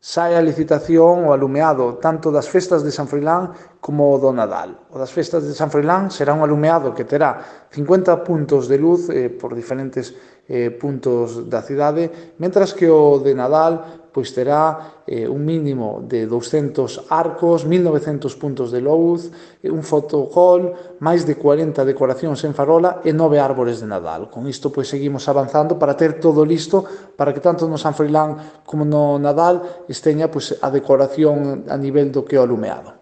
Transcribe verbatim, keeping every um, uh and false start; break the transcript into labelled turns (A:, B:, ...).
A: sae a licitación o alumeado tanto das festas de San Froilán como do Nadal. O das festas de San Froilán será un alumeado que terá cincuenta puntos de luz eh, por diferentes eh, puntos da cidade, mentras que o de Nadal pois terá eh, un mínimo de douscentos arcos, mil e novecentos puntos de luz, un fotocol, máis de cuarenta decoracións en farola e nove árbores de Nadal. Con isto pois seguimos avanzando para ter todo listo para que tanto no San Froilán como no Nadal esteña pois, a decoración a nivel do que o alumeado.